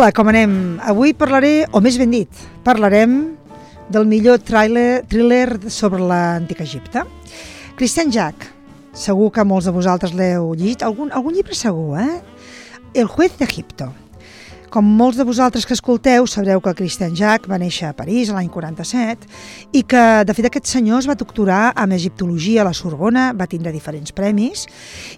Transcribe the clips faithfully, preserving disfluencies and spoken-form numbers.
Hola, com anem? Avui parlaré, o més ben dit, parlarem del millor thriller, thriller sobre l'antic Egipte. Christian Jack, segur que molts de vosaltres l'heu llegit, algun, algun llibre segur, eh? El juez d'Egipto. Com molts de vosaltres que escolteu, sabreu que Christian Jack va néixer a París l'any quaranta-set i que, de fet, aquest senyor es va doctorar en egiptologia a la Sorbona, va tindre diferents premis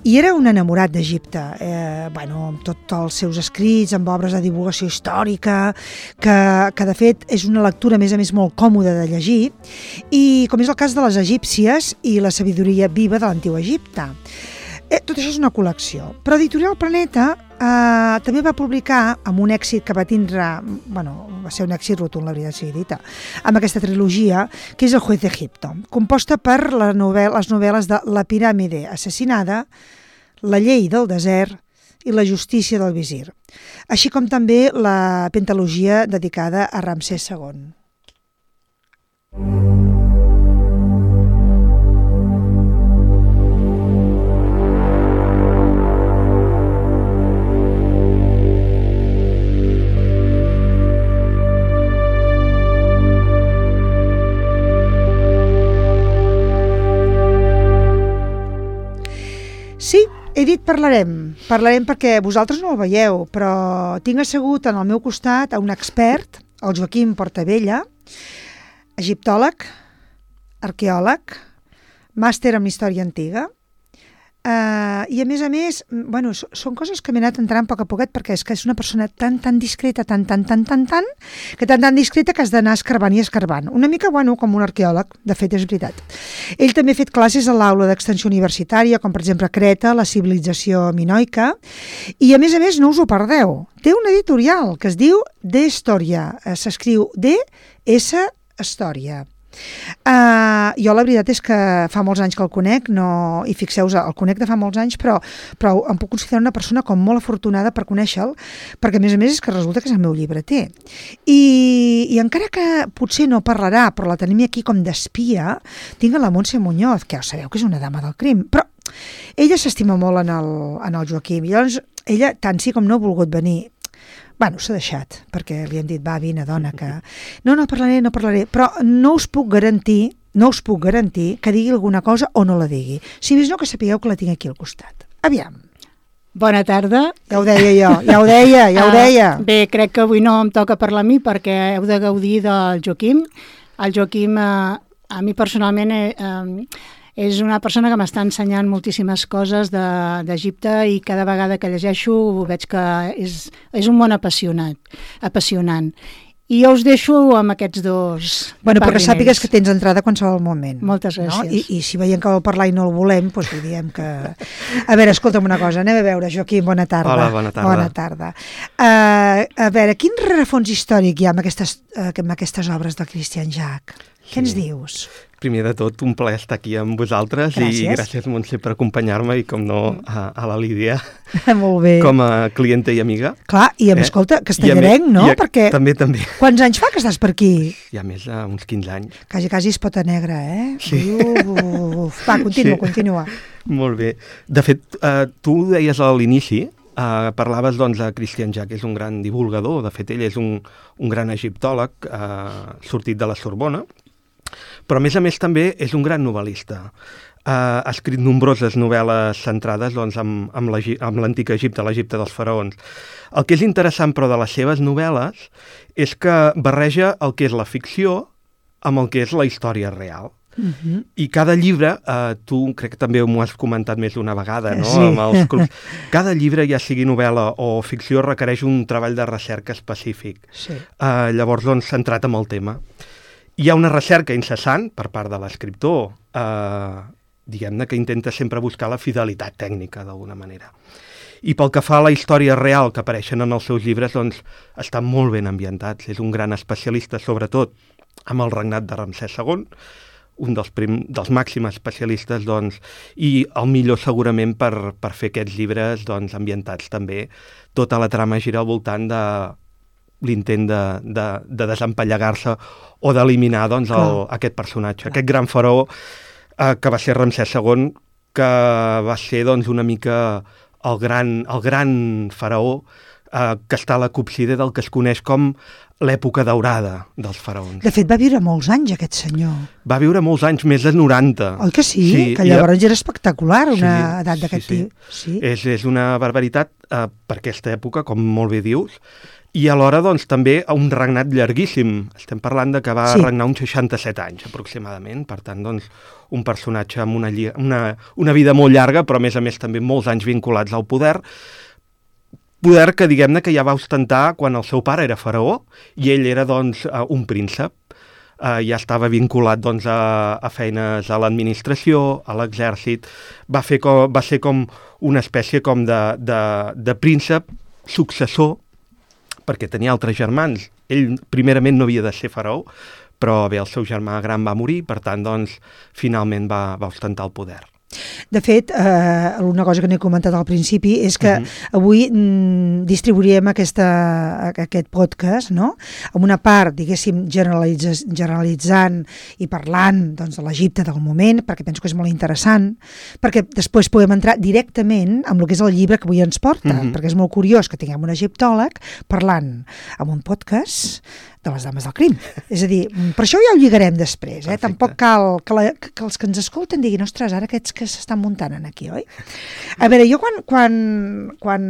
i era un enamorat d'Egipte, eh, bueno, amb tots els seus escrits, amb obres de divulgació històrica, que, que de fet és una lectura, a més a més, molt còmoda de llegir, i com és el cas de les egípcies i la sabidoria viva de l'antic Egipte. Eh, tot això és una col·lecció, però Editorial Planeta eh, també va publicar, amb un èxit que va tindre, bueno, va ser un èxit rotund, la veritat sigui dita, amb aquesta trilogia, que és El juez d'Egipto, composta per la novel·la, les novel·les de La piràmide assassinada, La llei del desert i La justícia del visir, així com també la pentalogia dedicada a Ramsès segon. Sí, he dit parlarem, parlarem perquè vosaltres no el veieu, però tinc assegut en el meu costat a un expert, el Joaquim Portabella, egiptòleg, arqueòleg, màster en història antiga, Uh, i a més a més, bueno, són coses que m'he anat entrant a poc a poquet perquè és que és una persona tan, tan discreta, tan, tan, tan, tan, tan, que tan, tan discreta que has d'anar escarbant i escarbant. Una mica, bueno, com un arqueòleg, de fet és veritat. Ell també ha fet classes a l'aula d'extensió universitària, com per exemple Creta, la civilització minoica, i a més a més no us ho perdeu. Té una editorial que es diu De Història, s'escriu D S Història. Uh, jo la veritat és que fa molts anys que el conec, no, i fixeu-vos, el conec de fa molts anys, però, però em puc considerar una persona com molt afortunada per conèixer-lo, perquè a més a més és que resulta que és el meu llibreter. I, i encara que potser no parlarà, però la tenim aquí com d'espia, tinc a la Montse Muñoz, que ja sabeu que és una dama del crim, però ella s'estima molt en el, en el Joaquim, i llavors ella tant sí com no ha volgut venir. Bueno, s'ha deixat, perquè li han dit, va, vine, dona, que... No, no parlaré, no parlaré, però no us puc garantir, no us puc garantir que digui alguna cosa o no la digui. Si més no, que sapigueu que la tinc aquí al costat. Aviam. Bona tarda. Ja ho deia jo, ja ho deia, ja ho deia. Uh, bé, crec que avui no em toca parlar a mi perquè heu de gaudir del Joaquim. El Joaquim, uh, a mi personalment... Eh, uh, és una persona que m'està ensenyant moltíssimes coses d'Egipte i cada vegada que llegeixo veig que és, és un món apassionat, apassionant. I jo us deixo amb aquests dos Bueno, perquè sàpigues que tens entrada a qualsevol moment. Moltes gràcies. No? I, I si veiem que vol parlar i no el volem, doncs li diem que... A veure, escolta'm una cosa, anem a veure, Joaquim, bona tarda. Hola, bona tarda. Bona tarda. Uh, a veure, quin rerefons històric hi ha amb aquestes, uh, amb aquestes obres de Christian Jack? Sí. Què ens dius? Primer de tot, un plaer estar aquí amb vosaltres. Gràcies. I gràcies, Montse, per acompanyar-me i, com no, a, a la Lídia. Molt bé. Com a clienta i amiga. Clar, i a més, eh? escolta, castellarenc, no? A, Perquè... També, també. Quants anys fa que estàs per aquí? Hi ha més d'uns quinze anys. Quasi, quasi és pota negra, eh? Sí. Uf, va, continua, sí. continua. Molt bé. De fet, eh, tu ho deies a l'inici, Uh, parlaves doncs de Christian Jack, és un gran divulgador, de fet ell és un, un gran egiptòleg uh, sortit de la Sorbona, però a més a més també és un gran novel·lista. Uh, ha escrit nombroses novel·les centrades doncs, amb, amb l'antic Egipte, l'Egipte dels faraons. El que és interessant però de les seves novel·les és que barreja el que és la ficció amb el que és la història real. Uh-huh. I cada llibre, eh, tu crec que també m'ho has comentat més d'una vegada, no? Sí. Amb els clubs. Cada llibre, ja sigui novel·la o ficció, requereix un treball de recerca específic. Sí. Eh, llavors, doncs, centrat en el tema. Hi ha una recerca incessant per part de l'escriptor, eh, diguem-ne que intenta sempre buscar la fidelitat tècnica, d'alguna manera. I pel que fa a la història real que apareixen en els seus llibres, doncs, estan molt ben ambientats. És un gran especialista, sobretot, amb el regnat de Ramsès segon, un dels, prim, dels màxims especialistes, doncs, i el millor segurament per, per fer aquests llibres doncs, ambientats també. Tota la trama gira al voltant de l'intent de, de, de desempallegar-se o d'eliminar doncs, el, aquest personatge, aquest gran faraó eh, que va ser Ramsès segon, que va ser doncs, una mica el gran, el gran faraó eh, que està a la cúpside del que es coneix com l'època daurada dels faraons. De fet, va viure molts anys, aquest senyor. Va viure molts anys, més de noranta. Oi que sí? sí que llavors era espectacular, una sí, edat d'aquest sí, sí. tipus. Sí. És, és una barbaritat eh, per aquesta època, com molt bé dius, i alhora, doncs, també un regnat llarguíssim. Estem parlant de que va sí. regnar uns seixanta-set anys, aproximadament. Per tant, doncs, un personatge amb una, una, una vida molt llarga, però, a més a més, també molts anys vinculats al poder. Poder que, diguem-ne, que ja va ostentar quan el seu pare era faraó i ell era, doncs, un príncep. Uh, ja estava vinculat, doncs, a, a feines a l'administració, a l'exèrcit. Va, fer com, va ser com una espècie com de, de, de príncep successor, perquè tenia altres germans. Ell, primerament, no havia de ser faraó, però bé, el seu germà gran va morir, per tant, doncs, finalment va, va ostentar el poder. De fet, eh, una cosa que no he comentat al principi és que uh-huh. avui mm, distribuirem aquesta, aquest podcast, no?, amb una part, diguéssim, generalitz generalitzant i parlant, doncs, de l'Egipte del moment, perquè penso que és molt interessant, perquè després podem entrar directament amb el que és el llibre que avui ens porta, uh-huh. perquè és molt curiós que tinguem un egiptòleg parlant amb un podcast de les dames del crim. És a dir, per això ja ho lligarem després, eh? Perfecte. Tampoc cal que, la, que els que ens escolten diguin, ostres, ara aquests que s'estan muntant aquí, oi? A veure, jo quan, quan, quan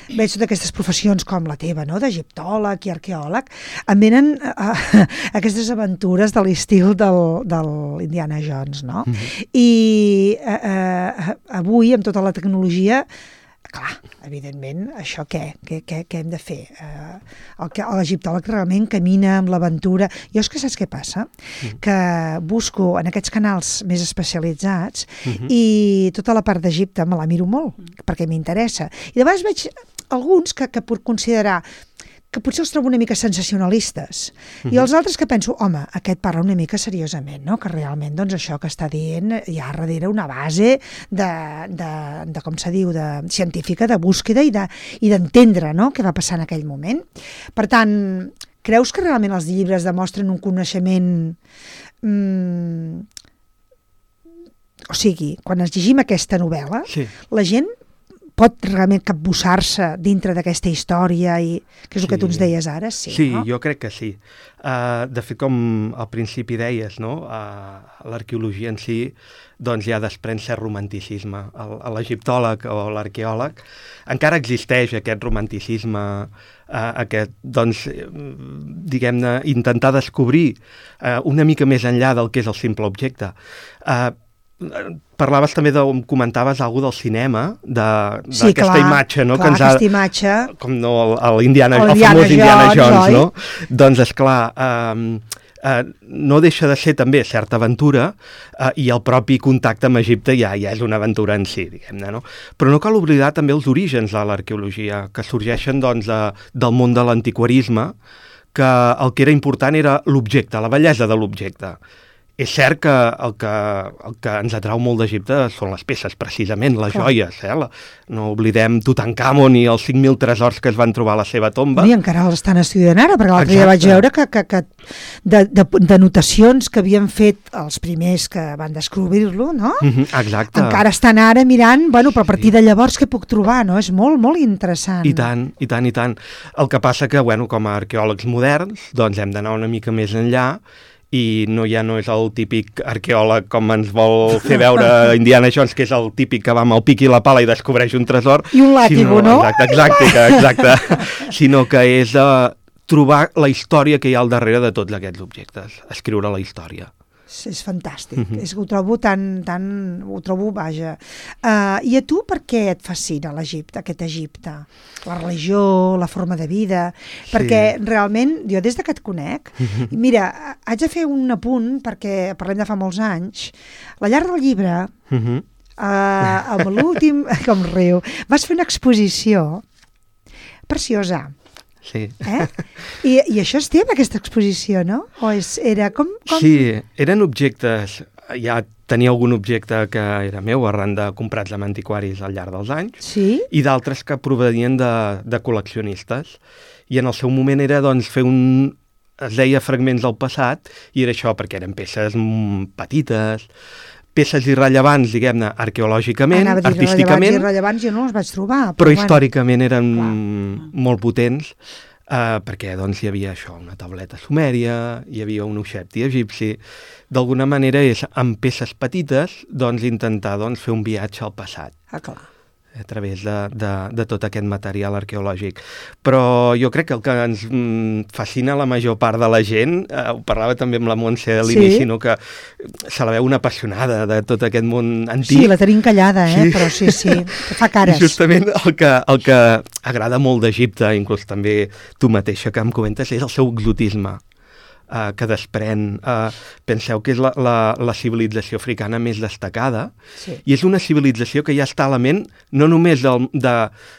veig totes aquestes professions com la teva, no?, d'egiptòleg i arqueòleg, em venen a, a, aquestes aventures de l'estil del, del Indiana Jones, no? Mm-hmm. I a, a, avui, amb tota la tecnologia, clar, evidentment, això què? Què, què, què hem de fer? Uh, el que l'egiptòleg realment camina amb l'aventura. Jo és que saps què passa? Mm. Que busco en aquests canals més especialitzats mm-hmm. i tota la part d'Egipte me la miro molt, mm. perquè m'interessa. I de vegades veig alguns que, que puc considerar que potser els trobo una mica sensacionalistes. Mm-hmm. I els altres que penso, home, aquest parla una mica seriosament, no?, que realment, doncs, això que està dient hi ha darrere una base de, de, de com se diu, de científica, de búsqueda i d'entendre, de, no?, què va passar en aquell moment. Per tant, creus que realment els llibres demostren un coneixement... Mm, o sigui, quan es llegim aquesta novel·la, sí. la gent pot realment capbussar-se dintre d'aquesta història, i que és el sí. que tu ens deies ara, sí, sí no? Sí, jo crec que sí. Uh, de fet, com al principi deies, no? Uh, l'arqueologia en si doncs ja desprèn cert romanticisme. A l'egiptòleg o l'arqueòleg encara existeix aquest romanticisme, uh, aquest, doncs, diguem-ne, intentar descobrir uh, una mica més enllà del que és el simple objecte. Uh, Parlaves també, de, comentaves alguna del cinema, d'aquesta sí, imatge, no? Clar, que ens ha, aquesta imatge... Com no, el, Indiana, el, el, el famós Jones, Indiana Jones, oi? No? Doncs, esclar, eh, eh, no deixa de ser també certa aventura, eh, i el propi contacte amb Egipte ja, ja és una aventura en si, diguem-ne, no? Però no cal oblidar també els orígens de l'arqueologia, que sorgeixen, doncs, de, del món de l'antiquarisme, que el que era important era l'objecte, la bellesa de l'objecte. És cert que el, que el que ens atrau molt d'Egipte són les peces, precisament, les Clar. joies. Eh? La, no oblidem Tutankamon i els cinc mil tresors que es van trobar a la seva tomba. I encara l'estan estudiant ara, perquè l'altre dia vaig veure que, que, que de, de, de notacions que havien fet els primers que van descobrir-lo, no? Mm-hmm, exacte. Encara estan ara mirant, bueno, però a partir de llavors què puc trobar, no? És molt, molt interessant. I tant, i tant, i tant. El que passa que, bueno, com a arqueòlegs moderns, doncs hem d'anar una mica més enllà, i no, ja no és el típic arqueòleg com ens vol fer veure Indiana Jones, que és el típic que va amb el pic i la pala i descobreix un tresor. I un làtigo, no? Exacte, exacte, exacte. Sinó que és uh, trobar la història que hi ha al darrere de tots aquests objectes, escriure la història. És fantàstic, mm-hmm. és que ho trobo tan, tan, ho trobo, vaja. Uh, I a tu per què et fascina l'Egipte, aquest Egipte? La religió, la forma de vida? Sí. Perquè realment, jo des de que et conec, mm-hmm. mira, haig de fer un apunt, perquè parlem de fa molts anys, la llar del llibre, mm-hmm. uh, amb l'últim, com riu, vas fer una exposició preciosa. Sí. Eh? I, I això és teva, aquesta exposició, no? O és, era com, com... Sí, eren objectes, ja tenia algun objecte que era meu arran de comprats amb antiquaris al llarg dels anys, sí? I d'altres que provenien de, de col·leccionistes. I en el seu moment era, doncs, fer un... es deia fragments del passat, i era això, perquè eren peces petites, peces irrellevants, diguem-ne, arqueològicament, Anava a dir, artísticament, rellevants i irrellevants jo no els vaig trobar. però bueno, històricament eren clar. molt potents, eh, perquè doncs, hi havia això, una tauleta sumèria, hi havia un uxepti egipci. D'alguna manera és, amb peces petites, doncs, intentar doncs, fer un viatge al passat. Ah, clar. A través de, de, de tot aquest material arqueològic. Però jo crec que el que ens mm, fascina la major part de la gent, eh, ho parlava també amb la Montse a l'inici, Sí. no? Que se la veu una apassionada de tot aquest món antic. Sí, la tenim callada, eh? Sí. Però sí, sí, que fa cares. I justament el que, el que agrada molt d'Egipte, inclús també tu mateixa que em comentes, és el seu exotisme. Uh, que desprèn. Uh, penseu que és la, la, la civilització africana més destacada, Sí. i és una civilització que ja està a la ment no només del, de,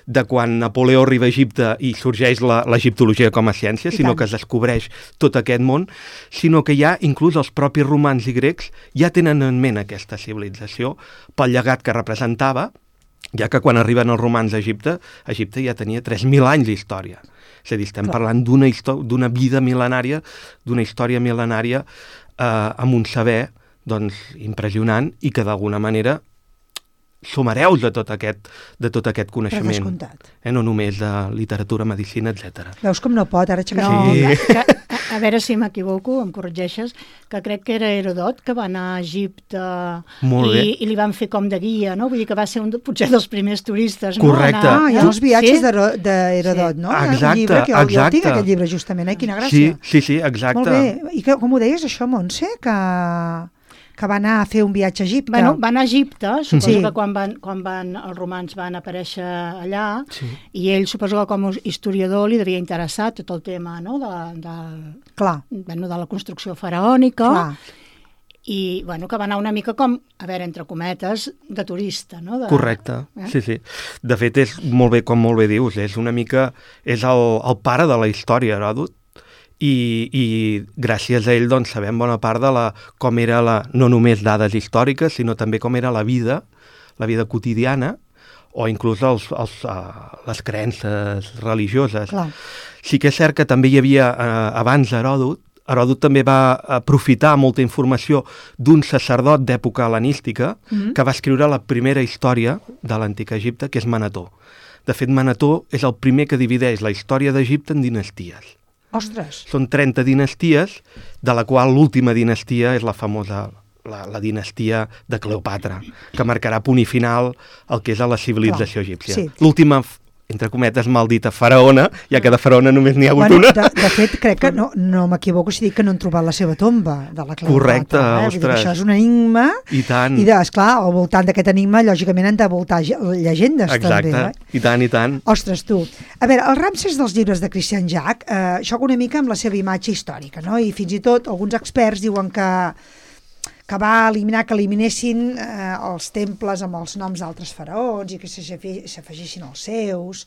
de quan Napoleó arriba a Egipte i sorgeix la- l'egiptologia com a ciència, I sinó tant. que es descobreix tot aquest món, sinó que ja inclús els propis romans i grecs ja tenen en ment aquesta civilització pel llegat que representava, ja que quan arriben els romans a Egipte, Egipte ja tenia tres mil anys d'història. És a dir, estem Clar. parlant d'una histò- d'una vida mil·lenària, d'una història mil·lenària eh, amb un saber doncs, impressionant i que d'alguna manera som hereus de tot aquest, de tot aquest Per coneixement. descomptat. Eh, no només de literatura, medicina, etcètera. Veus com no pot, ara aixecar No, Sí. que, que, a, a veure si m'equivoco, em corregeixes, que crec que era Herodot que va anar a Egipte Molt i, bé. i li van fer com de guia, no? Vull dir que va ser un, de- potser dels primers turistes, Correcte. no? Ah, hi ha els viatges d'Hero- d'Herodot, Sí. no? Hi ha un Exacte, llibre que jo, jo el tinc, exacte. aquest llibre, justament, eh? Quina Sí, gràcia. sí, sí, exacte. Molt bé. I que, com ho deies, això, Montse? Que, que va anar a fer un viatge a Egipte. Bueno, van a Egipte, suposo Sí. que quan, van, quan van, els romans van aparèixer allà, Sí. i ell suposo que com a historiador li devia interessar tot el tema, no?, de, de, Clar, bueno, de la construcció faraònica, clar. i bueno, que va anar una mica com, a veure, entre cometes, de turista, no? De, Correcte, Eh? sí, sí. De fet, és molt bé, com molt bé dius, és una mica, és el, el pare de la història, Heròdot, i, i gràcies a ell doncs, sabem bona part de la, com era la, no només dades històriques, sinó també com era la vida, la vida quotidiana, o inclús els, els, uh, les creences religioses. Clar. Sí que és cert que també hi havia, eh, abans d'Heròdot, Heròdot també va aprofitar molta informació d'un sacerdot d'època hel·lenística Mhm. que va escriure la primera història de l'antic Egipte, que és Manetó. De fet, Manetó és el primer que divideix la història d'Egipte en dinasties. Ostres. Són trenta dinasties, de la qual l'última dinastia és la famosa la, la dinastia de Cleopatra, que marcarà punt i final el que és a la civilització Clar, egípcia. sí. L'última, entre cometes, maldita faraona, ja que de faraona només n'hi ha hagut Bueno, una. de, de fet, crec que no, no m'equivoco si dic que no han trobat la seva tomba de la Cleopatra. Correcte, eh? Vull dir que ostres. això és un enigma. I tant. I, de, esclar, al voltant d'aquest enigma, lògicament, han de voltar ge- llegendes, Exacte, també. Eh? i tant, i tant. Ostres, tu. A veure, el Ramses dels llibres de Christian Jack eh, xoca una mica amb la seva imatge històrica, no? I fins i tot alguns experts diuen que que va eliminar, que eliminessin eh, els temples amb els noms d'altres faraons i que se- se- s'afegissin els seus,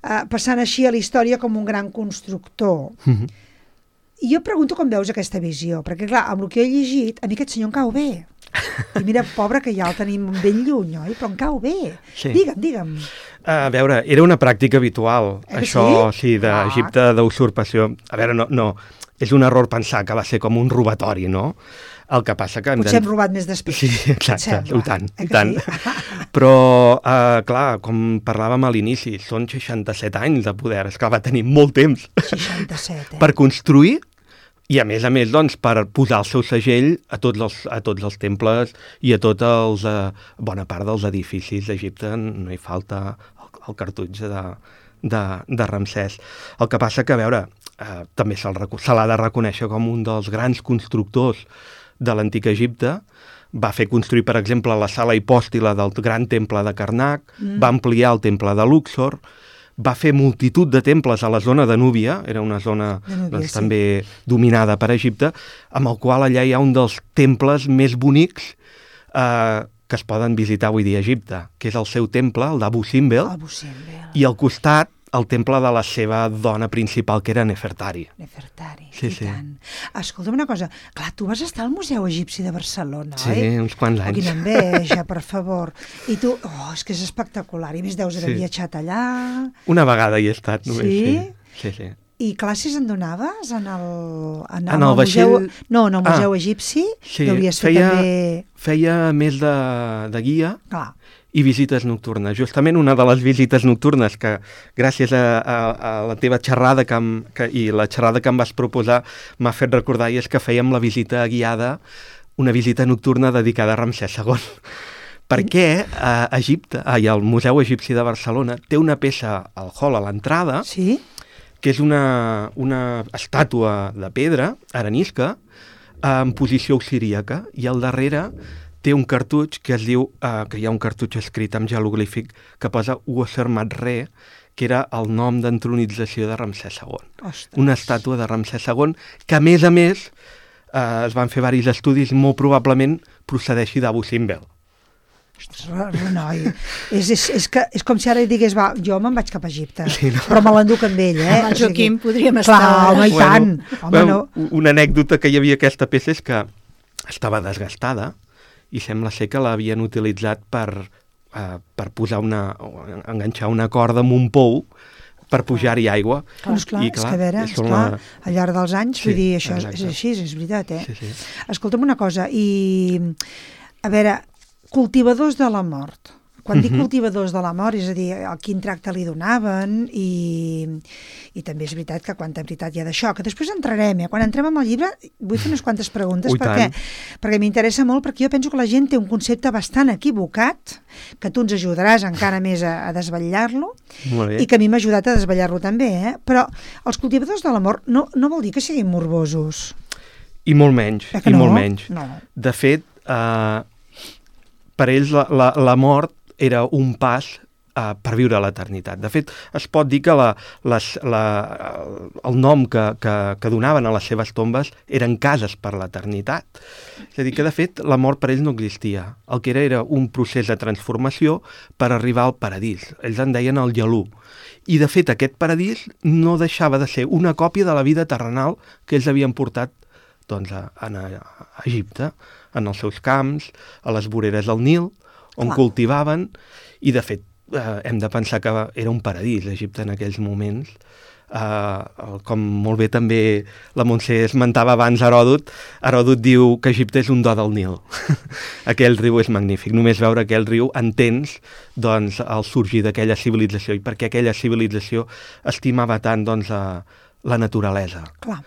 eh, passant així a la història com un gran constructor. Mhm. I jo pregunto com veus aquesta visió, perquè clar, amb el que he llegit, a mi aquest senyor em cau bé. I mira, pobre, que ja el tenim ben lluny, oi? Però em cau bé. Sí. Digue'm, digue'm. A veure, era una pràctica habitual, Eh que això, sí? sí, d'Egipte, d'usurpació. A veure, no, no, és un error pensar que va ser com un robatori, no? El que passa que... hem Potser de- hem robat més després. Sí, et exacte, sembla? i tant, Eh i que tant. sí? Però, eh, clar, com parlàvem a l'inici, són seixanta-set anys de poder, és que va tenir molt temps seixanta-set, eh? per construir i, a més a més, doncs, per posar el seu segell a tots els, a tots els temples i a tots els, eh, bona part dels edificis d'Egipte, no hi falta el, el cartutge de, de, de Ramsès. El que passa que, a veure, eh, també se'l reco- se l'ha de reconèixer com un dels grans constructors de l'antic Egipte. Va fer construir, per exemple, la sala hipòstila del gran temple de Karnak, mm. va ampliar el temple de Luxor, va fer multitud de temples a la zona de Núbia, era una zona De Núbia, doncs, sí. també dominada per Egipte, amb el qual allà hi ha un dels temples més bonics eh, que es poden visitar avui dia a Egipte, que és el seu temple, el d'Abu Simbel, El Busimbel, i al costat el temple de la seva dona principal, que era Nefertari. Nefertari, Sí, i sí. tant. Escolta'm una cosa, clar, tu vas estar al Museu Egipci de Barcelona, Sí, oi? uns quants Oh, anys. quina enveja, per favor. I tu, oh, és que és espectacular. I a més deus haver Sí. viatjat allà. Una vegada hi he estat, només. Sí? Sí, sí. sí. I classes en donaves en el, en, en el vaixell... museu... No, en el museu ah, egipci. Sí, Deuries fer feia, també... feia més de, de guia Clar. i visites nocturnes. Justament una de les visites nocturnes que, gràcies a, a, a la teva xerrada que em, que, i la xerrada que em vas proposar, m'ha fet recordar, i és que fèiem la visita guiada, una visita nocturna dedicada a Ramsès segon. Perquè a Egipte, ai, el Museu Egipci de Barcelona té una peça al hall a l'entrada, Sí? que és una, una estàtua de pedra, arenisca, en posició auxiríaca, i al darrere té un cartutx que es diu, eh, que hi ha un cartutx escrit amb jeroglífic que posa Uoser Matre, que era el nom d'entronització de Ramsès segon. Ostres. Una estàtua de Ramsès segon que, a més a més, eh, es van fer diversos estudis i molt probablement procedeixi d'Abu Simbel. Ostres, Renoi, és, és, és, que, és com si ara digués, va, jo me'n vaig cap a Egipte, Sí, no? però me l'enduc amb ell, eh? Amb el Joaquim podríem Clar, estar... home, i tant. Home, bueno, no. Una anècdota que hi havia aquesta peça és que estava desgastada i sembla ser que l'havien utilitzat per, uh, per posar una, enganxar una corda amb un pou per pujar-hi aigua. Clar, esclar, I, és que a veure, és esclar, la... al llarg dels anys, Sí, vull dir, això és, exacte. és així, és veritat, eh? Sí, sí. Escolta'm una cosa, i a veure, cultivadors de la mort. Quan dic Mhm. cultivadors de la mort, és a dir, a quin tracte li donaven, i, i també és veritat que quanta veritat hi ha d'això, que després entrarem, eh? Quan entrem amb el llibre vull fer unes quantes preguntes, Ui, perquè, tant. perquè m'interessa molt, perquè jo penso que la gent té un concepte bastant equivocat, que tu ens ajudaràs encara més a, a desvetllar-lo, Molt bé. i que a mi m'ha ajudat a desvetllar-lo també, eh? Però els cultivadors de la mort no, no vol dir que siguin morbosos. I molt menys, Eh que i no? molt menys. No. De fet, eh, per ells la, la, la mort era un pas uh, per viure l'eternitat. De fet, es pot dir que la, les, la, el nom que, que, que donaven a les seves tombes eren cases per l'eternitat. És a dir, que de fet la mort per ells no existia. El que era era un procés de transformació per arribar al paradís. Ells en deien el Gelú. I de fet aquest paradís no deixava de ser una còpia de la vida terrenal que ells havien portat doncs, a, a, a Egipte, en els seus camps, a les voreres del Nil, on Clar. cultivaven, i de fet eh, hem de pensar que era un paradís Egipte en aquells moments. Eh, com molt bé també la Montse esmentava abans Heròdot, Heròdot diu que Egipte és un do del Nil. Aquell riu és magnífic, només veure aquell riu entens doncs, el sorgir d'aquella civilització, i perquè aquella civilització estimava tant doncs, a la naturalesa. Clar,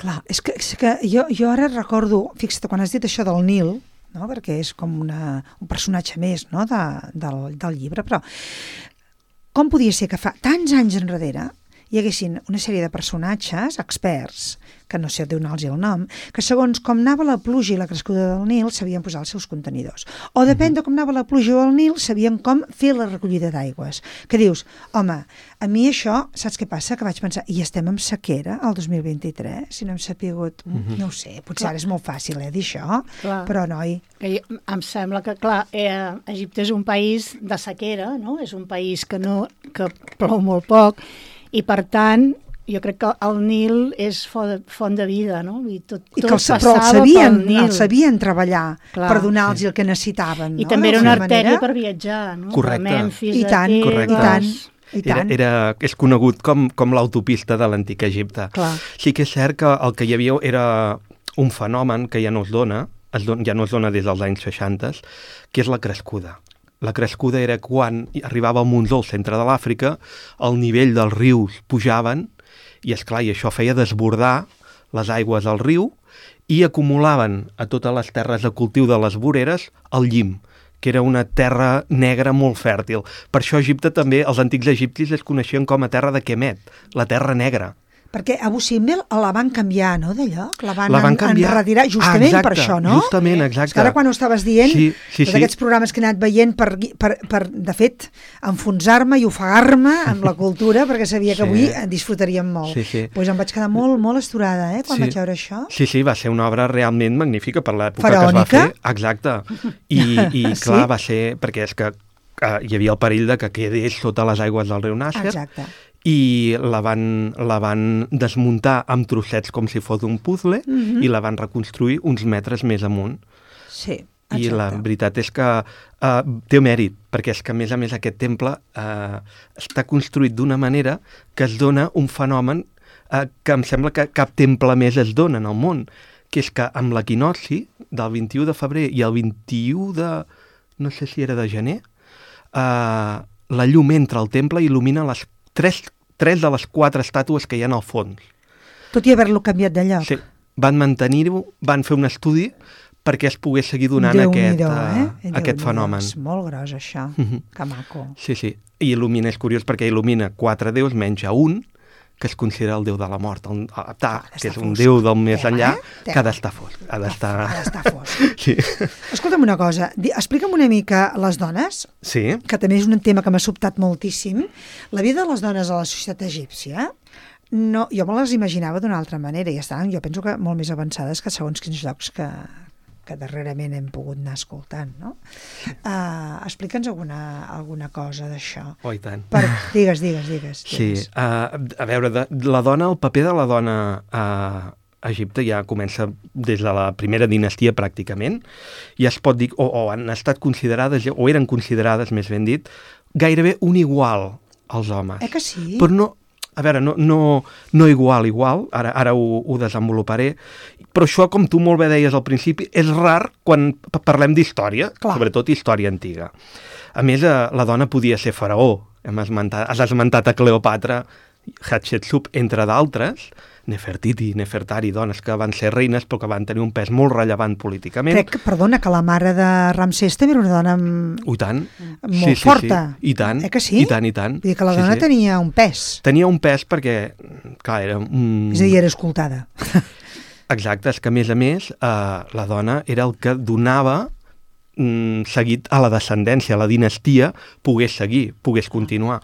clar. És que, és que jo, jo ara recordo, fixa't, quan has dit això del Nil, no? Perquè és com una, un personatge més, no? de, del, del llibre, però com podia ser que fa tants anys enrere hi haguessin una sèrie de personatges, experts, que no sé donar-los el nom, que segons com anava la pluja i la crescuda del Nil sabien posar els seus contenidors. O depèn de com anava la pluja del Nil, sabien com fer la recollida d'aigües. Que dius, home, a mi això, saps què passa? Que vaig pensar, i estem en sequera el dos mil vint-i-tres? Si no hem sapigut, mm-hmm. no ho sé, potser Clar. ara és molt fàcil, eh, dir això, Clar. però noi... Que jo, em sembla que, clar, eh, Egipte és un país de sequera, no? És un país que, no, que plou molt poc, i per tant, jo crec que el Nil és font, font de vida, no? I tot, I tot que els, però els passava sabien, pel Nil. els sabien treballar Clar. per donar-los sí. el que necessitaven. I no? també era D'alguna una artèria manera. per viatjar, no? Correcte. De Memphis, I a tant, Correcte. i tant, Tebes. i Era, tant. era, és conegut com, com l'autopista de l'antic Egipte. Clar. Sí que és cert que el que hi havia era un fenomen que ja no es dona, es don, ja no es dona des dels anys seixanta, que és la crescuda. La crescuda era quan arribava el Monzó al centre de l'Àfrica, el nivell dels rius pujaven, i esclar, i això feia desbordar les aigües del riu i acumulaven a totes les terres de cultiu de les voreres el llim, que era una terra negra molt fèrtil. Per això Egipte també, els antics egipcis es coneixien com a terra de Kemet, la terra negra. Perquè Abu Simbel la van canviar, no, de lloc? La van, La van en, canviar. enretirar, justament Ah, exacte, per això, no? justament, exacte. És que ara quan ho estaves dient, Sí, sí, tots sí. aquests programes que he anat veient per, per, per de fet, enfonsar-me i ofegar-me amb la cultura, perquè sabia que Sí. avui en disfrutaríem molt. Sí, sí. Pues em vaig quedar molt, molt esturada, eh, quan Sí. vaig veure això. Sí, sí, va ser una obra realment magnífica per l'època que es Faraònica. va fer. Exacte. I, i Sí? clar, va ser... Perquè és que eh, hi havia el perill de que quedés sota les aigües del riu Nàsser, Exacte. i la van, la van desmuntar amb trossets com si fos un puzzle, Mhm. i la van reconstruir uns metres més amunt. Sí, I la exacte. veritat és que uh, té mèrit, perquè és que a més a més aquest temple uh, està construït d'una manera que es dona un fenomen eh, que em sembla que cap temple més es dona en el món, que és que amb l'equinocci del vint-i-u de febrer i el vint-i-u de... no sé si era de gener, eh, la llum entra al temple i il·lumina les tres, tres de les quatre estàtues que hi ha al fons. Tot i haver-lo canviat de lloc. Sí, van mantenir-ho, van fer un estudi perquè es pogués seguir donant aquest, eh? uh, aquest fenomen. És molt gros, això. Uh-huh. Que maco. Sí, sí. I il·lumina, és curiós, perquè il·lumina quatre déus menys a un, que es considera el déu de la mort, el Ptah, que és un fosc. déu del més Tema, enllà, eh? que ha d'estar fosc. Ha d'estar... Ha d'estar fosc. Sí. Escolta'm una cosa, di- explica'm una mica les dones, Sí. que també és un tema que m'ha sobtat moltíssim. La vida de les dones a la societat egípcia, no, jo me les imaginava d'una altra manera, i estaven, jo penso que molt més avançades que segons quins llocs que, que darrerament hem pogut anar escoltant, no? Uh, Explica'ns alguna, alguna cosa d'això. Oh, i tant. Per, digues, digues, digues. Sí, digues. uh, a veure, de, la dona, el paper de la dona a Egipte ja comença des de la primera dinastia pràcticament, i es pot dir, o, o han estat considerades, o eren considerades, més ben dit, gairebé un igual als homes. Eh que sí? Però no, a veure, no, no, no igual, igual, ara, ara ho, ho desenvoluparé, però això, com tu molt bé deies al principi, és rar quan parlem d'història, sobretot història antiga. A més, eh, la dona podia ser faraó. Hem esmentat, has esmentat a Cleopatra, Hatshepsut, entre d'altres, Nefertiti, Nefertari, dones que van ser reines però que van tenir un pes molt rellevant políticament. Crec, perdona, que la mare de Ramsès també era una dona amb... I tant. molt sí, sí, forta. Sí. I tant. Eh que sí? I tant, i tant. Vull dir que la sí, dona sí. tenia un pes. Tenia un pes perquè, clar, era un... És a dir, era escoltada. Exacte, és que a més a més eh, la dona era el que donava mm, seguit a la descendència, a la dinastia, pogués seguir, pogués continuar.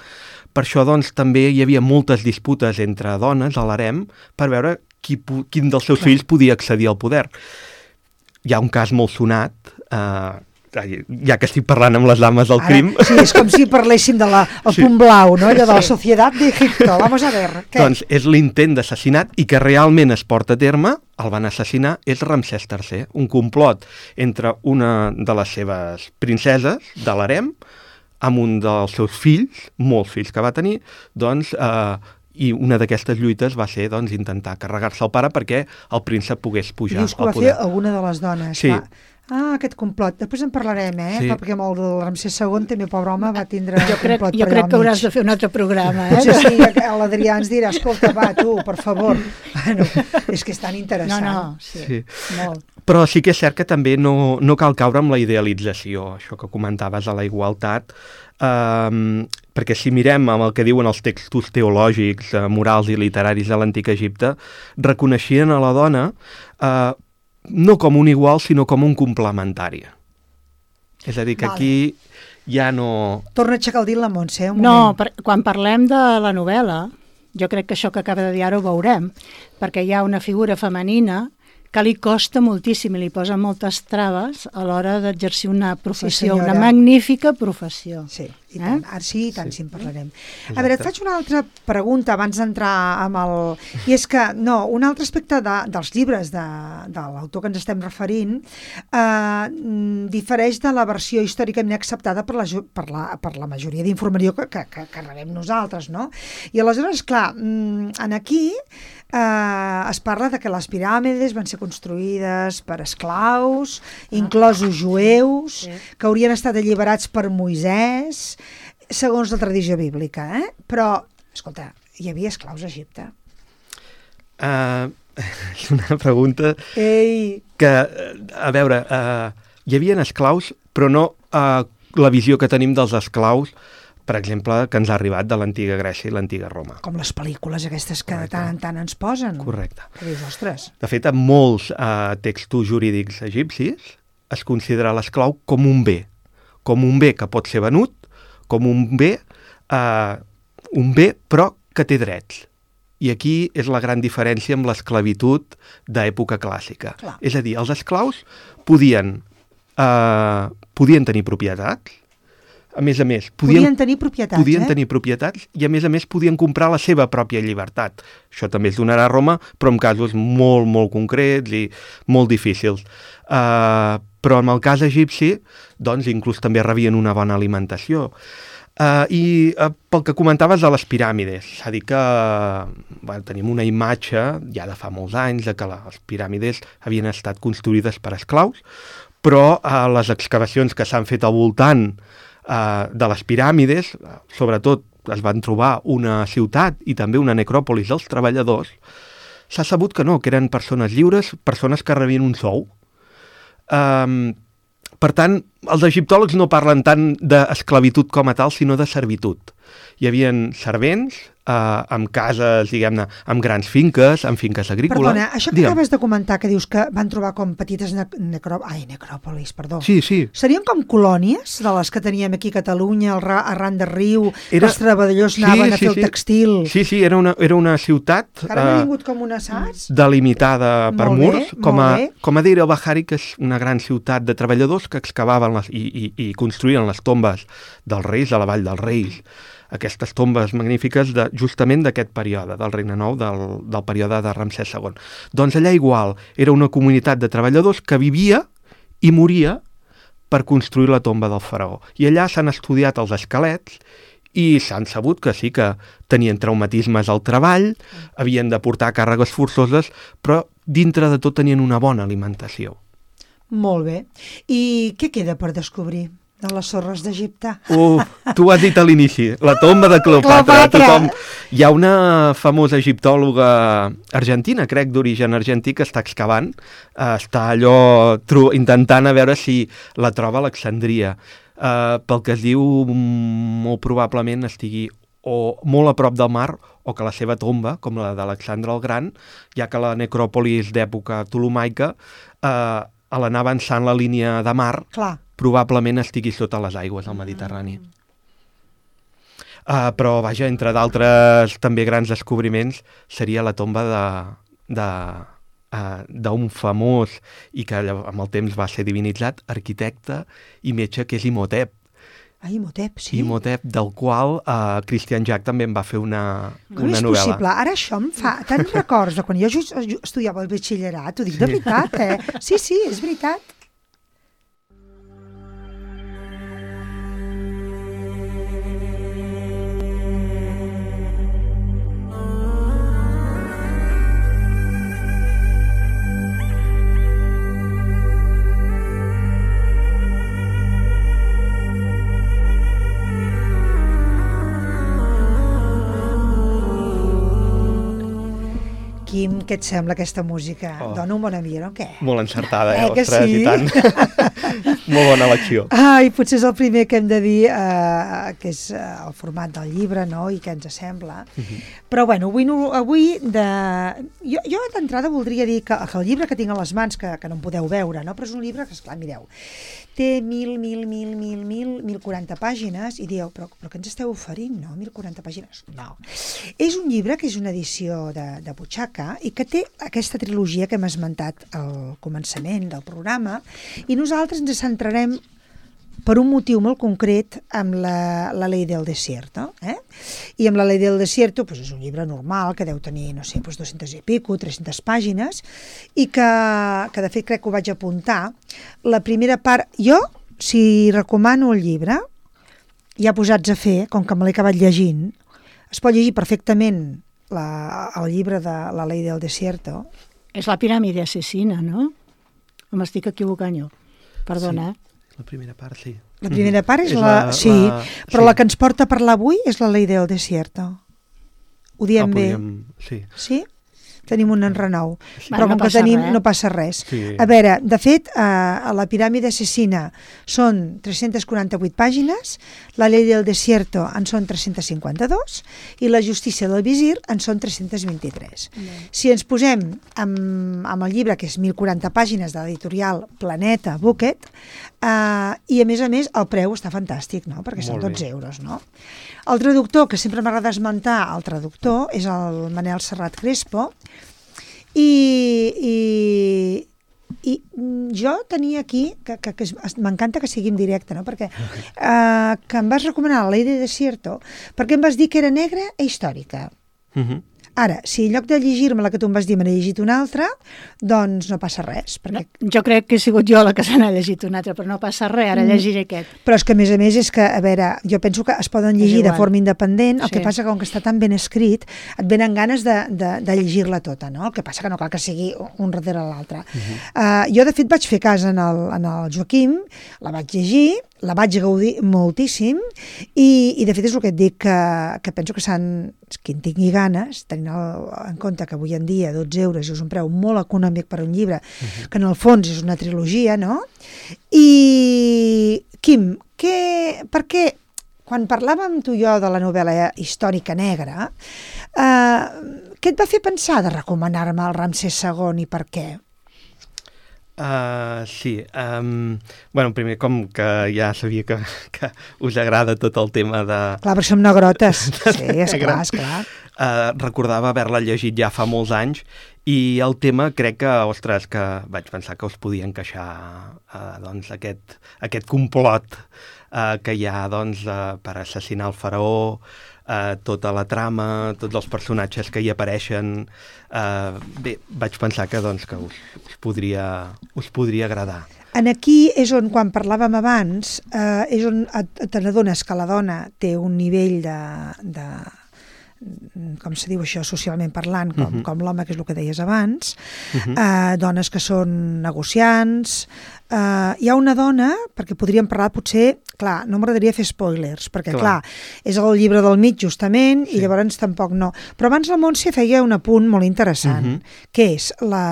Per això, doncs, també hi havia moltes disputes entre dones a l'harem per veure qui, quin dels seus Clar. fills podia accedir al poder. Hi ha un cas molt sonat, eh, ja que estic parlant amb les dames del Ara, crim... Sí, és com si parléssim del Sí. punt blau, no? Allò de la Societat d'Egipto. Vamos a ver. Què? Doncs és l'intent d'assassinat i que realment es porta a terme, el van assassinar, és Ramsès tercer, un complot entre una de les seves princeses de l'harem amb un dels seus fills, molts fills que va tenir, doncs, eh, i una d'aquestes lluites va ser doncs, intentar carregar-se el pare perquè el príncep pogués pujar Dius que al ho va poder. fer alguna de les dones. Sí. Va. Ah, aquest complot. Després en parlarem, eh? Sí. Perquè amb el del Ramsès segon també, pobre home, va tindre Jo crec, complot jo per allà crec al que hauràs mig. de fer un altre programa, eh? Potser sí, l'Adrià ens dirà, escolta, va, tu, per favor. Bueno, és que és tan No, interessant. no, sí, Sí. molt. Però sí que és cert que també no, no cal caure amb la idealització, això que comentaves de la igualtat, um, perquè si mirem amb el que diuen els textos teològics, uh, morals i literaris de l'antic Egipte, reconeixien a la dona uh, no com un igual, sinó com un complementari. És a dir, que Vale. aquí ja no... Torna a aixecar el dit la Montse, un No, moment. per, quan parlem de la novel·la, jo crec que això que acaba de dir ara ho veurem, perquè hi ha una figura femenina que li costa moltíssim i li posa moltes traves a l'hora d'exercir una professió, senyora. una magnífica professió. Sí, i tant. Eh? Ara sí, i tant, sí. sí en parlarem. Exacte. A veure, et faig una altra pregunta abans d'entrar amb el... I és que, no, un altre aspecte de, dels llibres de, de l'autor que ens estem referint eh, difereix de la versió històricament acceptada per la, per la, per la majoria d'informació que, que, que, que rebem nosaltres, no? I aleshores, clar, en aquí eh, es parla de que les piràmides van ser construïdes per esclaus, inclosos jueus, Sí. que haurien estat alliberats per Moisès, segons la tradició bíblica, eh? Però, escolta, hi havia esclaus a Egipte. Uh, és una pregunta Ei! que, a veure, uh, hi havia esclaus, però no uh, la visió que tenim dels esclaus, per exemple, que ens ha arribat de l'antiga Grècia i l'antiga Roma. Com les pel·lícules aquestes que Correcte. de tant en tant ens posen. Correcte. Que dius, ostres. De fet, en molts uh, textos jurídics egipcis es considera l'esclau com un bé, com un bé que pot ser venut, com un bé, uh, un bé però que té drets. I aquí és la gran diferència amb l'esclavitud d'època clàssica. Clar. És a dir, els esclaus podien, uh, podien tenir propietats, a més a més, podien, Podien tenir propietats, podien eh? tenir propietats i a més a més podien comprar la seva pròpia llibertat. Això també es donarà a Roma, però en casos molt, molt concrets i molt difícils. Uh, però en el cas egipci, doncs, inclús també rebien una bona alimentació. Uh, I uh, pel que comentaves de les piràmides, s'ha dit que bueno, tenim una imatge ja de fa molts anys de que les piràmides havien estat construïdes per esclaus, però uh, les excavacions que s'han fet al voltant uh, de les piràmides, uh, sobretot es van trobar una ciutat i també una necròpolis dels treballadors, s'ha sabut que no, que eren persones lliures, persones que rebien un sou. Um, per tant, els egiptòlegs no parlen tant d'esclavitud com a tal, sinó de servitud. Hi havia servents eh, amb cases, diguem-ne, amb grans finques, amb finques agrícoles. Perdona, això que Digue'm. acabes de comentar, que dius que van trobar com petites ne necrò... Ai, necròpolis, perdó. Sí, sí. Serien com colònies de les que teníem aquí a Catalunya, al ra arran de riu, que Era- els treballadors Sí, anaven a sí, fer sí. el textil. Sí, sí, era una, era una ciutat Que ara m'ha eh, vingut com una, saps? delimitada per Molt bé, murs, com a, molt bé. com a Deir el-Bahari, que és una gran ciutat de treballadors que excavaven les, i, i, i construïen les tombes dels reis a la Vall dels Reis. Aquestes tombes magnífiques de, justament d'aquest període, del Regne Nou, del, del període de Ramsès segon. Doncs allà igual, era una comunitat de treballadors que vivia i moria per construir la tomba del faraó. I allà s'han estudiat els esquelets i s'han sabut que sí, que tenien traumatismes al treball, havien de portar càrregues forçoses, però dintre de tot tenien una bona alimentació. Molt bé. I què queda per descobrir de les sorres d'Egipte? Uf, tu ho has dit a l'inici, la tomba de Cleopatra. Cleopatra. Tothom... Hi ha una famosa egiptòloga argentina, crec, d'origen argentí, que està excavant, eh, està allò tru... intentant a veure si la troba a Alexandria. Eh, pel que es diu, molt probablement estigui o molt a prop del mar, o que la seva tomba, com la d'Alexandre el Gran, ja que la necròpolis d'època ptolomaica, eh, a l'anar avançant la línia de mar, Clar. probablement estigui sota les aigües del Mediterrani. Uh, però, vaja, entre d'altres també grans descobriments, seria la tomba de, de, uh, d'un famós, i que amb el temps va ser divinitzat, arquitecte i metge, que és Imhotep. Ah, Imhotep, sí. Imhotep, del qual uh, Christian Jack també en va fer una, Com una és novel·la. possible? Ara això em fa tants records de quan jo just estudiava el batxillerat, ho dic de veritat, eh? Sí, sí, és veritat. Quim, què et sembla aquesta música? Oh. Dona un bon ambient o què? Molt encertada, eh? Eh, que Ostres, sí? i tant. Molt bona elecció. Ai, potser és el primer que hem de dir, eh, que és eh, el format del llibre, no?, i què ens sembla. Mhm. Però, bueno, avui, no, avui de... jo, jo d'entrada voldria dir que, que el llibre que tinc a les mans, que, que no em podeu veure, no?, però és un llibre que, esclar, mireu, té mil, mil, mil, mil, mil, mil quaranta pàgines, i dieu, però, però què ens esteu oferint, no?, mil quaranta pàgines? No. És un llibre que és una edició de, de butxaca i que té aquesta trilogia que hem esmentat al començament del programa, i nosaltres ens centrarem per un motiu molt concret amb la, la Ley del Desierto. Eh? I amb la Ley del Desierto pues, és un llibre normal que deu tenir, no sé, pues, dues-centes i pico, tres-centes pàgines, i que, que de fet crec que ho vaig apuntar. La primera part, jo, si recomano el llibre, ja posats a fer, com que me l'he acabat llegint, es pot llegir perfectament la, el llibre de la Ley del Desierto. És la piràmide assassina, no? O m'estic equivocant jo? Perdona, Sí. La primera part, sí. La primera part és, És la... la- Sí, la- però sí. la que ens porta a parlar avui és la Ley del Desierto. Ho diem Ah, bé? podríem... Sí. Sí? Tenim un enrenou. Sí. Però Va, no com que passa tenim, res. no passa res. Sí. A veure, de fet, eh, a la piràmide assassina són tres-centes quaranta-vuit pàgines, la Ley del Desierto en són tres-centes cinquanta-dos i la Justícia del Visir en són tres-centes vint-i-tres. Si ens posem amb, amb el llibre, que és mil quaranta pàgines de l'editorial Planeta Bucket, eh, i a més a més el preu està fantàstic, no?, perquè són Molt bé. dotze euros, no? El traductor, que sempre m'agrada esmentar el traductor, és el Manel Serrat Crespo, i, i, i jo tenia aquí, que, que, que es- m'encanta que sigui en directe, no?, perquè eh, que em vas recomanar la Ley de Desierto, perquè em vas dir que era negra i històrica. Mhm. Ara, si en lloc de llegir-me la que tu em vas dir me n'he llegit una altra, doncs no passa res. Perquè... No, jo crec que he sigut jo la que se n'ha llegit una altra, però no passa res, ara llegiré aquest. Però és que, a més a més, és que, a veure, jo penso que es poden llegir de forma independent, el sí. que passa que, com que està tan ben escrit, et venen ganes de, de, de llegir-la tota, no? El que passa que no cal que sigui un darrere l'altre. Uh-huh. uh, jo, de fet, vaig fer cas en el, en el Joaquim, la vaig llegir, la vaig gaudir moltíssim i, i de fet és el que et dic que, que penso que s'han, qui en tingui ganes, tenint el, en compte que avui en dia dotze euros és un preu molt econòmic per un llibre, uh-huh. que en el fons és una trilogia, no? I Quim, què, per què quan parlàvem tu i jo de la novel·la històrica negra, eh, què et va fer pensar de recomanar-me el Ramsès segon i per què? Uh, sí, um, bueno, primer com que ja sabia que, que us agrada tot el tema de... Clar, perquè som negrotes, sí, esclar, esclar. Uh, recordava haver-la llegit ja fa molts anys i el tema crec que, ostres, que vaig pensar que us podia encaixar uh, doncs aquest, aquest complot uh, que hi ha doncs, uh, per assassinar el faraó, Uh, tota la trama, tots els personatges que hi apareixen. Uh, bé, vaig pensar que, doncs, que us, us, podria, us podria agradar. En aquí és on, quan parlàvem abans, eh, és on te n'adones que la dona té un nivell de... de com se diu això, socialment parlant, com, uh-huh. com l'home, que és el que deies abans, uh-huh. eh, dones que són negociants. Eh, hi ha una dona, perquè podríem parlar potser, clar, no m'agradaria fer spoilers, perquè clar. clar, és el llibre del mig justament, sí. i llavors tampoc no. Però abans la Montse feia un apunt molt interessant, uh-huh. que és la,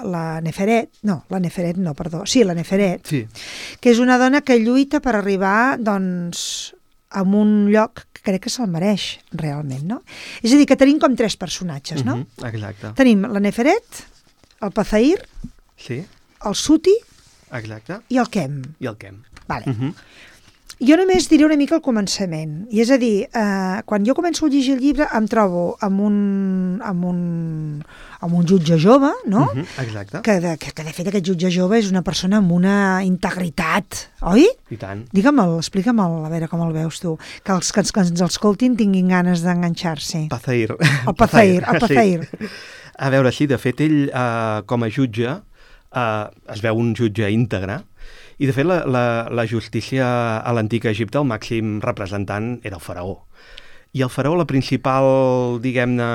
la Neferet, no, la Neferet no, perdó, sí, la Neferet, sí. que és una dona que lluita per arribar, doncs, a un lloc que crec que se'l mereix, realment, no? És a dir, que tenim com tres personatges, no? Uh-huh, exacte. Tenim la Neferet, el Pazair, sí. el Suti exacte. i el Kem. I el Kem. Vale. Uh-huh. Jo només diré una mica el començament, i és a dir, eh, quan jo començo a llegir el llibre em trobo amb un, amb un, amb un jutge jove, no? Uh-huh, exacte. Que de, que, que de fet aquest jutge jove és una persona amb una integritat, oi? I tant. Digue'm-el, explica'm-el, a veure com el veus tu, que els que, que ens escoltin tinguin ganes d'enganxar-se. Pazair. El Pazair, el Pazair. Sí. A veure, sí, de fet ell eh, com a jutge eh, es veu un jutge íntegre. I, de fet, la, la, la justícia a l'antic Egipte, el màxim representant era el faraó. I el faraó, la principal, diguem-ne,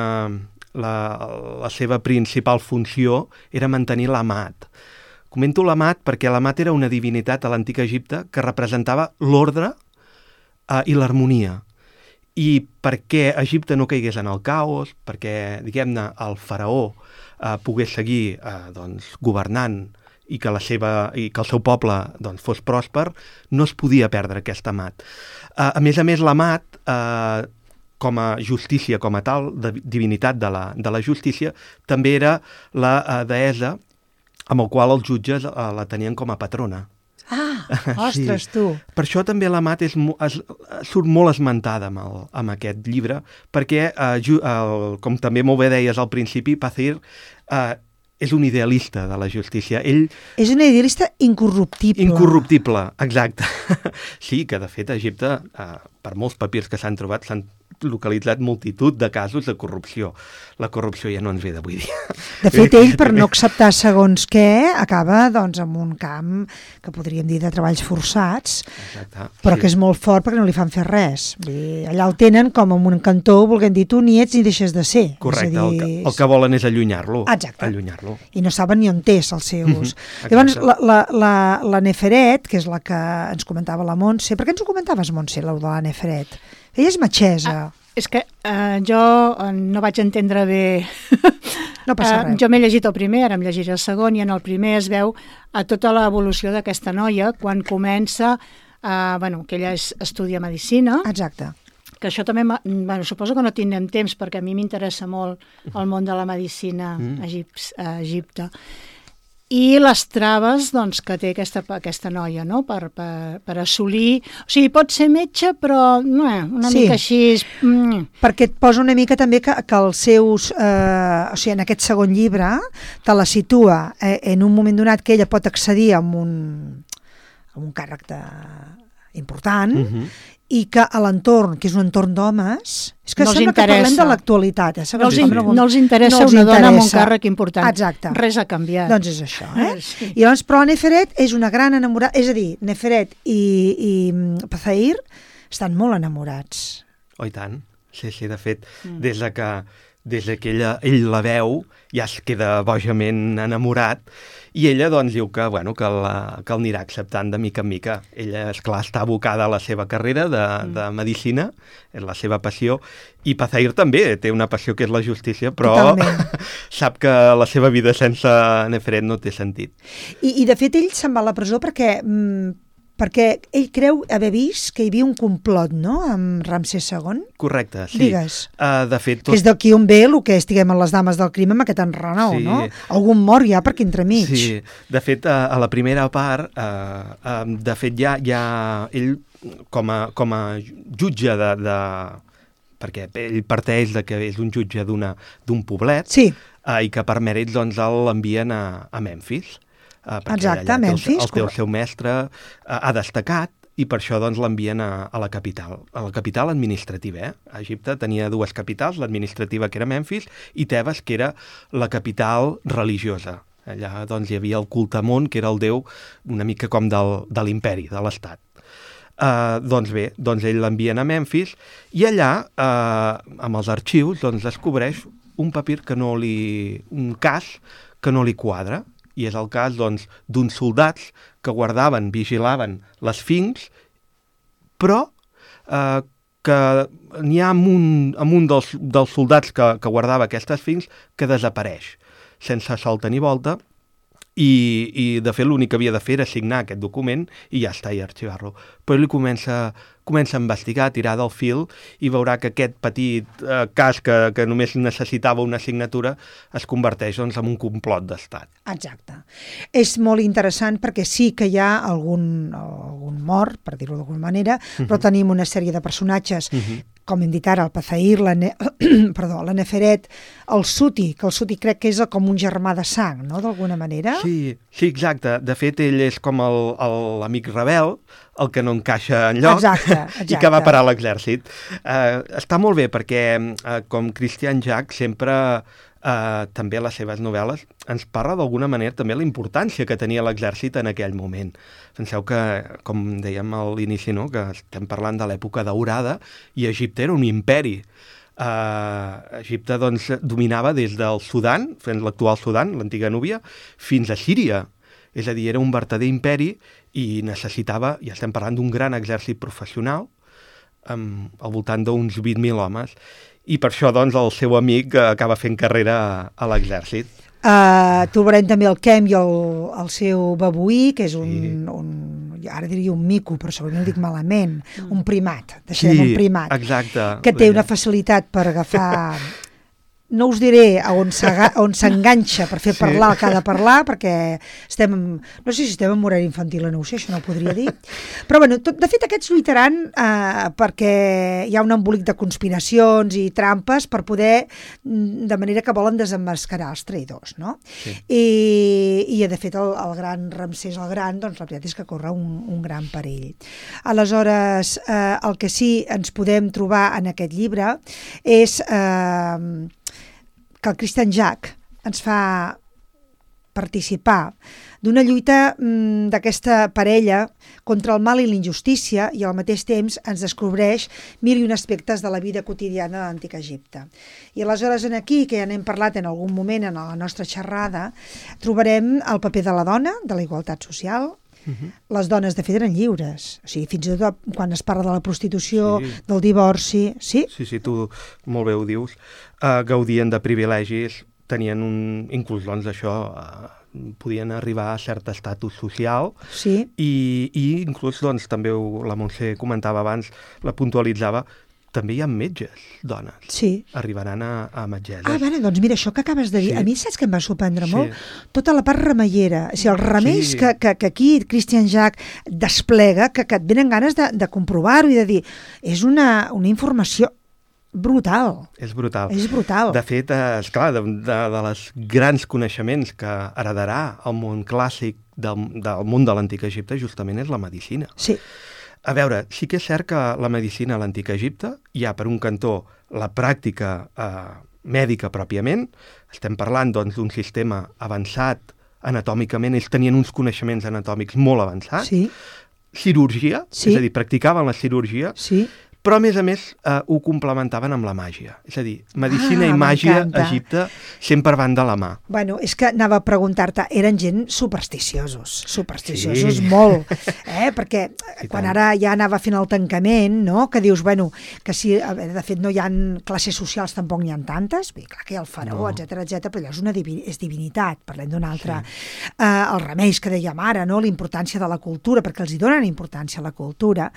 la, la seva principal funció era mantenir l'Amat. Comento l'Amat perquè l'Amat era una divinitat a l'antic Egipte que representava l'ordre eh, i l'harmonia. I perquè Egipte no caigués en el caos, perquè, diguem-ne, el faraó eh, pogués seguir eh, doncs, governant i que, la seva, i que el seu poble doncs, fos pròsper, no es podia perdre aquest amat. Uh, a més a més, l'amat, uh, com a justícia, com a tal, de divinitat de la, de la justícia, també era la uh, deessa amb el qual els jutges uh, la tenien com a patrona. Ah, ostres, sí. Tu! Per això també l'amat és, es, surt molt esmentada amb, el, amb aquest llibre, perquè, uh, ju, uh, com també molt bé deies al principi, Pazair uh, és un idealista de la justícia. Ell... És un idealista incorruptible. Incorruptible, exacte. Sí, que de fet a Egipte, eh, per molts papirs que s'han trobat, s'han localitzat multitud de casos de corrupció. La corrupció ja no ens ve d'avui dia. De fet, ell, per no acceptar segons què, acaba doncs, en un camp que podríem dir de treballs forçats, exacte, però sí. que és molt fort perquè no li fan fer res. Vull dir, allà el tenen com en un cantó, volent dir, tu ni ets ni deixes de ser. Correcte, dir... el, que, el que volen és allunyar-lo. Exacte. Allunyar-lo. I no saben ni on és els seus. Mm-hmm. Llavors, la, la, la, la Neferet, que és la que ens comentava la Montse, per què ens ho comentaves, Montse, la de la Neferet? Ella és metgessa. Ah, és que uh, jo uh, no vaig entendre bé... No passa res. Uh, jo m'he llegit el primer, ara em llegiré el segon, i en el primer es veu a tota l'evolució d'aquesta noia quan comença, uh, bueno, que ella és, estudia medicina. Exacte. Que això també, bueno, suposo que no tindrem temps perquè a mi m'interessa molt el món de la medicina a Egip, a Egipte. I les traves doncs, que té aquesta, aquesta noia, no? per, per, per assolir... O sigui, pot ser metge, però no, una sí. mica així... Mm. Perquè et posa una mica també que, que els seus... Eh, o sigui, en aquest segon llibre te la situa eh, en un moment donat que ella pot accedir a un, a un càrrec de... important, Mhm. i que a l'entorn, que és un entorn d'homes, és que No els sembla que parlem interessa. de l'actualitat. Eh? No els, Sí, in, sí. no els interessa No els una dona amb un interessa. càrrec important. Exacte. Res ha canviat. Doncs és això, eh? Sí. I llavors, però Neferet és una gran enamorada, és a dir, Neferet i, i mm, Pazair estan molt enamorats. Oh, i tant. Sí, sí, de fet, mm. des de que, des de que ella, ell la veu, ja es queda bojament enamorat, i ella doncs diu que, bueno, que, la, que el anirà acceptant de mica en mica. Ella, esclar, està abocada a la seva carrera de, mm. de medicina, és la seva passió, i Pazair també té una passió que és la justícia, però Totalment. sap que la seva vida sense Neferet no té sentit. I, i de fet ell se'n va a la presó perquè, mm, perquè ell creu haver vist que hi havia un complot, no?, amb Ramsès segon. Correcte, sí. Digues. Uh, de fet, tot... Que és d'aquí on ve el que estiguem en les dames del crim amb aquest enrenou, Sí. no? Algun mort ja per aquí entremig. Sí, de fet, a, a la primera part, eh, eh, de fet, ja, ja ell, com a, com a jutge de, de... perquè ell parteix de que és un jutge d'una d'un poblet, Sí. eh, i que per mèrits doncs, l'envien a, a Memphis. Eh, perquè Exacte, allà té el- Memphis, El, té el correcte. seu mestre, eh, ha destacat, i per això doncs, l'envien a, a la capital, a la capital administrativa. Eh? Egipte tenia dues capitals, l'administrativa, que era Memphis, i Tebes, que era la capital religiosa. Allà doncs, hi havia el culte Amon, que era el déu una mica com del, de l'imperi, de l'estat. Uh, doncs bé, doncs ell l'envien a Memphis, i allà, uh, amb els arxius, doncs, descobreix un papir que no li... un cas que no li quadra, i és el cas doncs, d'uns soldats que guardaven, vigilaven les fincs, però eh, que n'hi ha amb un, amb un dels, dels soldats que, que guardava aquestes fincs que desapareix, sense solta ni volta, i, i de fet l'únic que havia de fer era signar aquest document i ja està, i arxivar-lo. Però ell comença, comença a investigar, a tirar del fil, i veurà que aquest petit eh, cas que, que només necessitava una signatura es converteix doncs, en un complot d'estat. Exacte. És molt interessant perquè sí que hi ha algun, algun mort, per dir-ho d'alguna manera, uh-huh. però tenim una sèrie de personatges, uh-huh. com hem dit ara, el Pazair, la, ne... Perdó, la Neferet, el Suti, que el Suti crec que és com un germà de sang, no?, d'alguna manera. Sí, sí, exacte. De fet, ell és com el- el- l'amic rebel, el que no encaixa en lloc, Exacte, exacte. i que va parar a l'exèrcit. Uh, està molt bé perquè, uh, com Christian Jack, sempre, uh, també a les seves novel·les, ens parla d'alguna manera també la importància que tenia l'exèrcit en aquell moment. Penseu que, com dèiem a l'inici, no?, que estem parlant de l'època daurada, i Egipte era un imperi. Uh, Egipte doncs, dominava des del Sudan, fent l'actual Sudan, l'antiga Núbia, fins a Síria. És a dir, era un vertader imperi i necessitava, ja estem parlant d'un gran exèrcit professional, amb, al voltant d'uns vint mil homes, i per això doncs, el seu amic eh, acaba fent carrera a, a l'exèrcit. Uh, trobarem també el Kem i el, el seu babuí, que és un, Sí. un, ara diria un mico, però segurament ho dic malament, un primat, deixem un primat, exacte. que té una facilitat per agafar... No us diré a on s'aga- on s'enganxa per fer Sí. parlar el que ha de parlar, perquè estem, no sé si estem en horari infantil o no ho sé, això no ho podria dir. Però bueno, tot, de fet aquests lluitaran eh, perquè hi ha un embolic de conspiracions i trampes per poder, mm, de manera que volen desemmascarar els traïdors, no? Sí. I, i de fet el, el gran Ramsès el Gran, doncs la veritat és que corre un, un gran perill. Aleshores, eh, el que sí ens podem trobar en aquest llibre és... Eh, que el Christian Jack ens fa participar d'una lluita mm, d'aquesta parella contra el mal i la injustícia, i al mateix temps ens descobreix mil i un aspectes de la vida quotidiana de l'Antic Egipte. I aleshores en aquí, que ja n'hem parlat en algun moment en la nostra xerrada, trobarem el paper de la dona, de la igualtat social. Uh-huh. Les dones, de fet, eren lliures. O sigui, fins i tot quan es parla de la prostitució, Sí. del divorci... Sí? Sí, sí, tu molt bé ho dius. Uh, gaudien de privilegis, tenien un... inclús, doncs, això, uh, podien arribar a cert estatus social, Sí. i, i inclús, doncs, també ho, la Montse comentava abans, la puntualitzava, també hi ha metges, dones. Sí. Arribaran a, a metgesses. Ah, bueno, doncs mira, això que acabes de dir, Sí. a mi saps que em va sorprendre Sí. molt? Tota la part remeiera, o sigui, els remeis Sí. que, que, que aquí Christian Jack desplega, que, que et venen ganes de, de comprovar-ho i de dir, és una, una informació brutal, És brutal. és brutal. De fet, eh, esclar, de, de, de les grans coneixements que heredarà el món clàssic del, del món de l'Antic Egipte justament és la medicina. Sí. a veure, sí que és cert que la medicina a l'antic Egipte hi ha, per un cantó, la pràctica eh, mèdica pròpiament. Estem parlant doncs, d'un sistema avançat anatòmicament, ells tenien uns coneixements anatòmics molt avançats. Sí. Cirurgia, Sí. és a dir, practicaven la cirurgia, Sí. però a més a més eh, ho complementaven amb la màgia. És a dir, medicina Ah, i màgia a m'encanta. Egipte sempre van de la mà. Bueno, és que anava a preguntar-te, eren gent supersticiosos, supersticiosos Sí. molt, eh? Perquè I quan tant. ara ja anava fent el tancament, no? Que dius, bueno, que si, a veure, de fet no hi ha classes socials, tampoc n'hi ha tantes, bé, clar que hi ha el faraó, No. etcètera, etcètera, però allò és una divi és divinitat, parlem d'un altre. Sí. Eh, els remeis que dèiem ara, no? La importància de la cultura, perquè els hi donen importància a la cultura,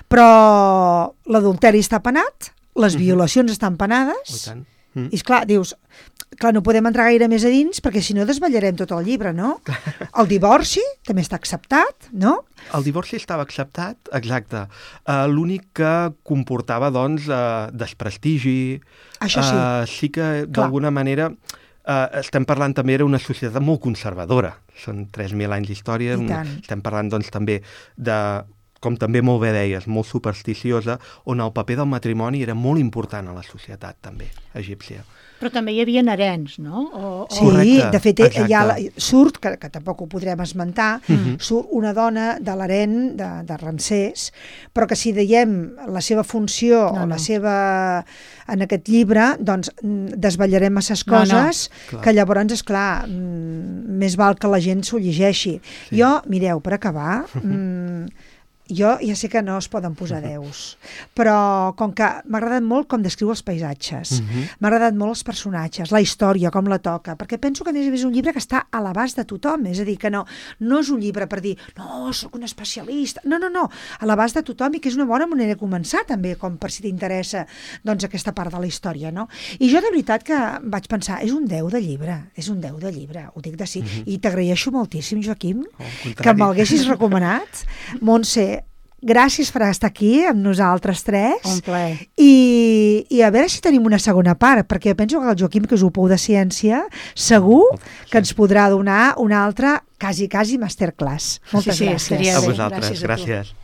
però l'adulteri està penat, les violacions estan Oh, i penades, tant. Mm. i esclar, dius, clar, no podem entrar gaire més a dins perquè si no desvetllarem tot el llibre, no? El divorci també està acceptat, no? El divorci estava acceptat, exacte. Uh, L'únic que comportava, doncs, uh, desprestigi. Això sí. Uh, sí que, d'alguna manera, uh, estem parlant també era una societat molt conservadora. Són tres mil anys d'història. I tant. Estem parlant, doncs, també de, com també molt bé deies, molt supersticiosa, on el paper del matrimoni era molt important a la societat, també, egípcia. Però també hi havia herens, no? O, o... Sí, Correcte, de fet, exacte. hi ha la, surt, que, que tampoc ho podrem esmentar, Mhm. surt una dona de l'harem de, de Ramsès, però que si dèiem la seva funció No, o la no. seva en aquest llibre, doncs mm, desvetllarem masses No, no. coses Clar. que llavors, és clar, mm, més val que la gent s'ho llegeixi. Sí. Jo, mireu, per acabar, mm, jo ja sé que no es poden posar déus, però com que m'ha agradat molt com descriu els paisatges, Mhm. m'ha agradat molt els personatges, la història, com la toca, perquè penso que a més a més és un llibre que està a l'abast de tothom, és a dir, que no, no és un llibre per dir, no, sóc un especialista, no, no, no, a l'abast de tothom i que és una bona manera de començar també, com per si t'interessa doncs aquesta part de la història, no? I jo de veritat que vaig pensar, és un deu de llibre, és un deu de llibre, ho dic de sí, Mhm. i t'agraeixo moltíssim, Joaquim, Oh, al que contrari. m'haguessis recomanat. Montse, gràcies per estar aquí amb nosaltres tres. Un plaer. I, I a veure si tenim una segona part, perquè penso que el Joaquim, que és un pou de ciència, segur que ens podrà donar una altra, quasi, quasi masterclass. Moltes Sí, sí, gràcies. estaria A bé. vosaltres, Gràcies a tu. gràcies.